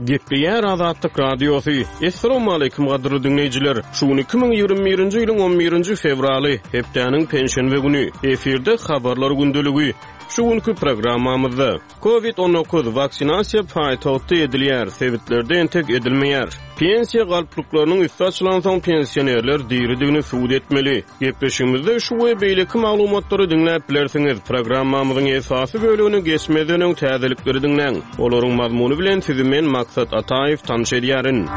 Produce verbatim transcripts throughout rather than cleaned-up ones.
Gepleýär Azatlyk Radiosy. Essalawmaleýkim gadyrly diňleýjiler! Şu gün iki müň ýigrimi birinji ýylyň on birinji fewraly, hepdäniň penşenbe güni. Efirde Habarlar gündeligi. Şu günki programmamyzda, Covid on dokuz, waksinasiýa paýtagtda edilýär, sebitlerde entek edilmeýär. Pensiýa galplyklarynyň üsti açylansoň pensionerler diridigini subut etmeli. Gepleşigimizde şu we beýleki maglumatlary diňläp bilersiňiz. Programmamyzyň esasy bölegini geçmezden öň täzelikleri diňläň. Olaryň mazmuny bilen sizi men Maksat Ataýew tanyş edýärin.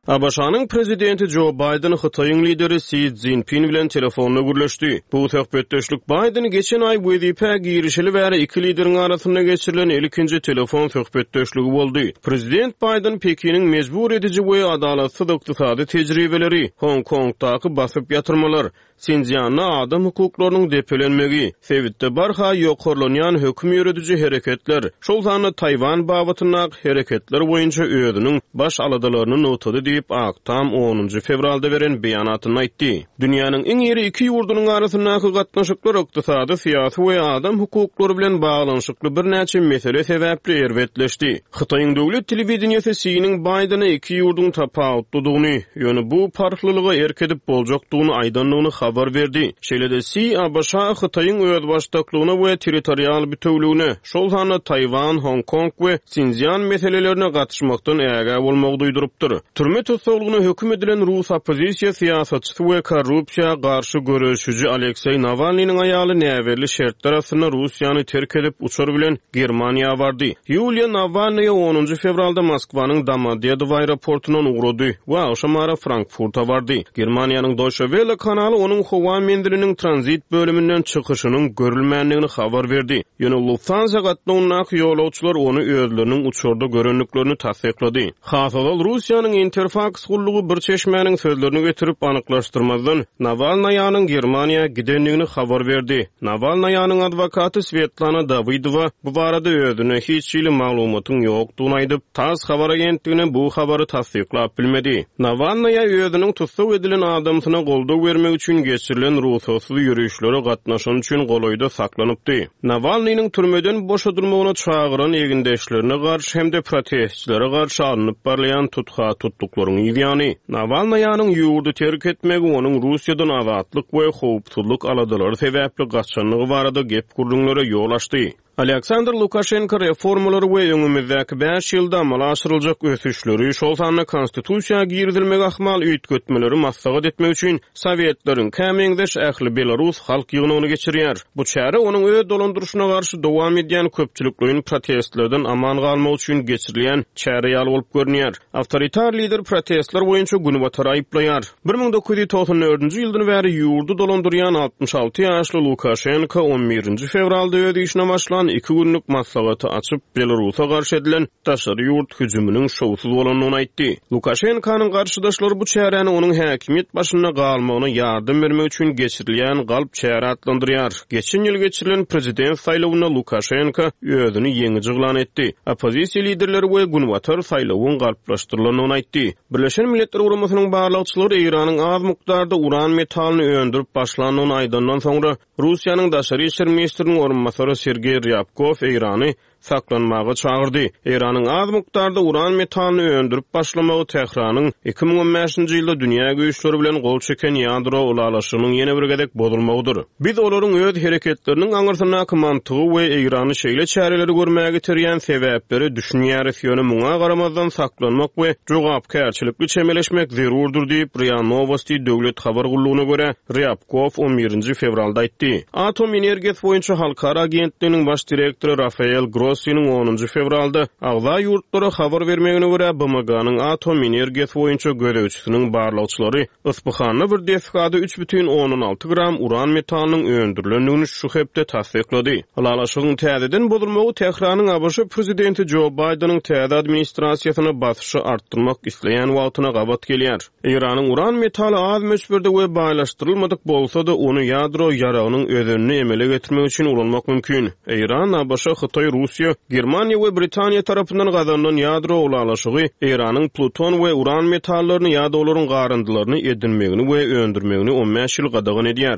A B Ş-nyň prezidenti Jo Baýden Hytaýyň lideri Si Szinpin bilen telefonda gürleşdi. Bu söhbetdeşlik Baýden geçen aý wezipä girişeli bäri iki lideriň arasynda geçirilen ilkinji telefon söhbetdeşligi boldy. Prezident Baýden Pekiniň mejbur ediji we adalatsyz ykdysady tejribeleri, Hong Kongdaky basyp ýatyrmalar, Sinjianda adam hukuklarynyň depelenmegi, sebitde barha ýokarlanýan höküm ýörediji hereketler, şol sanda Taýwan babatyndaky hereketler boýunça özüniň baş aladalaryny nygtady diýip Ak Tam onunjy fewralda beren beýanatynda aýtdy. Dünýäniň iň iri iki ýurdunyň arasyndaky gatnaşyklar ykdysady, syýasy we adam hukuklary bilen baglanyşykly birnäçe mesele sebäpli erbetleşdi. Hytaýyň döwlet telewideniýesi Siniň Baýdena iki ýurduň tapawutlydygyny, ýöne bu parhlylyga erk edip boljakdygyny aýdandygyny habar berdi. Şeýle-de Si A B Ş Hytaýyň özbaşdaklygyna we territorial bütewligine, şol sanda Taýwan, Hong Kong we Sinjian meselelerine gatyşmakdan ägä bolmagy duýdurypdyr. Türme tussaglygyna höküm edilen Rus oppozisiýa syýasatçysy we korrupsiýa garşy göreşiji Alekseý Nawalnynyň aýaly näbelli şertler astynda Russiýany terk edip uçar bilen Germaniýa bardy. Ýuliýa Nawalnyýa onunjy fewralda Moskwanyň Domodedowo aeroportundan ugrady we agşam ara Frankfurta bardy. Germaniýanyň Deutsche Welle kanaly onuň howa menziliniň tranzit bölüminden çykyşynyň görülmändigini habar berdi. Ýöne Lufthansa gatnawyndaky ýolagçylar ony özleriniň uçarda görendiklerini tassyklady. Hasazal Russiýanyň Interfax gullugy bir çeşmäniň sözlerini getirip anyklaşdyrmazdan Nawalnaýanyň Germaniýa gidendigini habar berdi. Nawalnaýanyň adwokaty Svetlana Dawidowa bu barada özüne hiç hili maglumatyň ýokdugyny aýdyp, TASS habar agentligine bu habary tassyklap bilmedi. Nawalnaýa özüniň tussag edilen adamsyna goldaw bermek üçin geçirilen ruhsatsyz ýörişlere gatnaşan üçin golaýda saklanypdy. Nawalnynyň türmeden boşadylmagyna çagyran egindeşlerine garşy hem-de protestçilere garşy alnyp barlaýan tutha tutduklaryň ýany. Nawalnaýanyň ýurdy terk etmegi onuň Russiýadan azatlyk we howpsuzlyk aladalary sebäpli gaçanlygy barada gep gürrüňlere ýol açdy. Aleksandr Lukaşenko reformalary we öňümizdäki bäş ýylda amala aşyryljak ösüşleri, şol sanda konstitusiýa girizilmegi ahmal üýtgetmeleri maslahat etmek üçin Sowetleriň kämeňzeş ähli Belarus halk ýygnagyny geçirýär. Bu çäre onuň öz dolandyryşyna garşy dowam edýän köpçülikleýin protestlerden aman galmak üçin geçirilýän çäre ýaly bolup görünýär. Awtoritar lider protestler boýunça günbatar aýyplaýar. Bir müň dokuz ýüz togsan dördünji ýyldan bäri ýurdy dolandyrýan altmyş alty ýaşly Lukaşenko on birinji fewralda öz işine başlan iki günlük maslahaty açyp Belarusa garşy edilen daşary ýurt hüjüminiň şowsuz bolandygyny aýtdy. Lukaşenkonyň garşydaşlary bu çäräni onuň häkimiýet başynda galmagyna ýardam bermek üçin geçirilýän galp çäre atlandyrýar. Geçen ýyl geçirilen prezident saýlawynda Lukaşenko özüni ýeňiji yglan etdi. Oppozisiýa liderleri we günbatar saýlawyň galplaşdyrylandygyny aýtdy. Birleşen Milletler Guramasynyň barlagçylary Eýranyň az mukdarda uran metalyny öndürip başlandygyny aýdandan soňra Russiýanyň daşary işler ministriniň orunbasary Sergeý Ryabkov Eýrany saklanmaga çagyrdy. Eýranyň az mukdarda uran metalyny öndürip başlamagy Tähranyň iki müň on bäşinji ýylda dünýä güýçleri bilen gol çeken ýadro ylalaşygynyň ýene bir gezek bozulmagydyr. Biz olaryň öz hereketleriniň aňyrsyndaky mantygy we Eýrany şeýle çäreleri görmäge getirýän sebäpleri düşünýäris, ýöne muňa garamazdan saklanmak we jogapkärçilikli çemeleşmek zerurdyr diýip RIA Novosti döwlet habar gullugyna görä Ryabkov on birinji fewralda aýtdy. Atom energiýasy boýunça halkara agentliginiň baş direktory Rafael Grossiniň onunjy fewralda agza ýurtlara habar bermegine görä B M G-nyň atom energiýasy boýunça gözegçisiniň barlagçylary Isfahan'da bir desgada üç bütin ondan alty gram uran metalynyň öndürilendigini şu hepde tassyklady. Ylalaşygyň täzeden bozulmagy Tähranyň A B Ş prezidenti Jo Baýdeniň täze administrasiýasyna basyşy artdyrmak isleýän wagtyna gabat gelýär. Eýranyň uran metaly az möçberde we baýlaşdyrylmadyk bolsa-da ony ýadro ýaragynyň özenini emele getirmek üçin ulanmak mümkin. Eýran, A B Ş, Hytaý, Russiýa, Germaniýa we Britaniýa tarapyndan gazanylan ýadro ylalaşygy Eýranyň pluton we uran metallaryny ýa-da olaryň garyndylaryny edinmegini we öndürmegini on bäş ýyl gadagan edýär.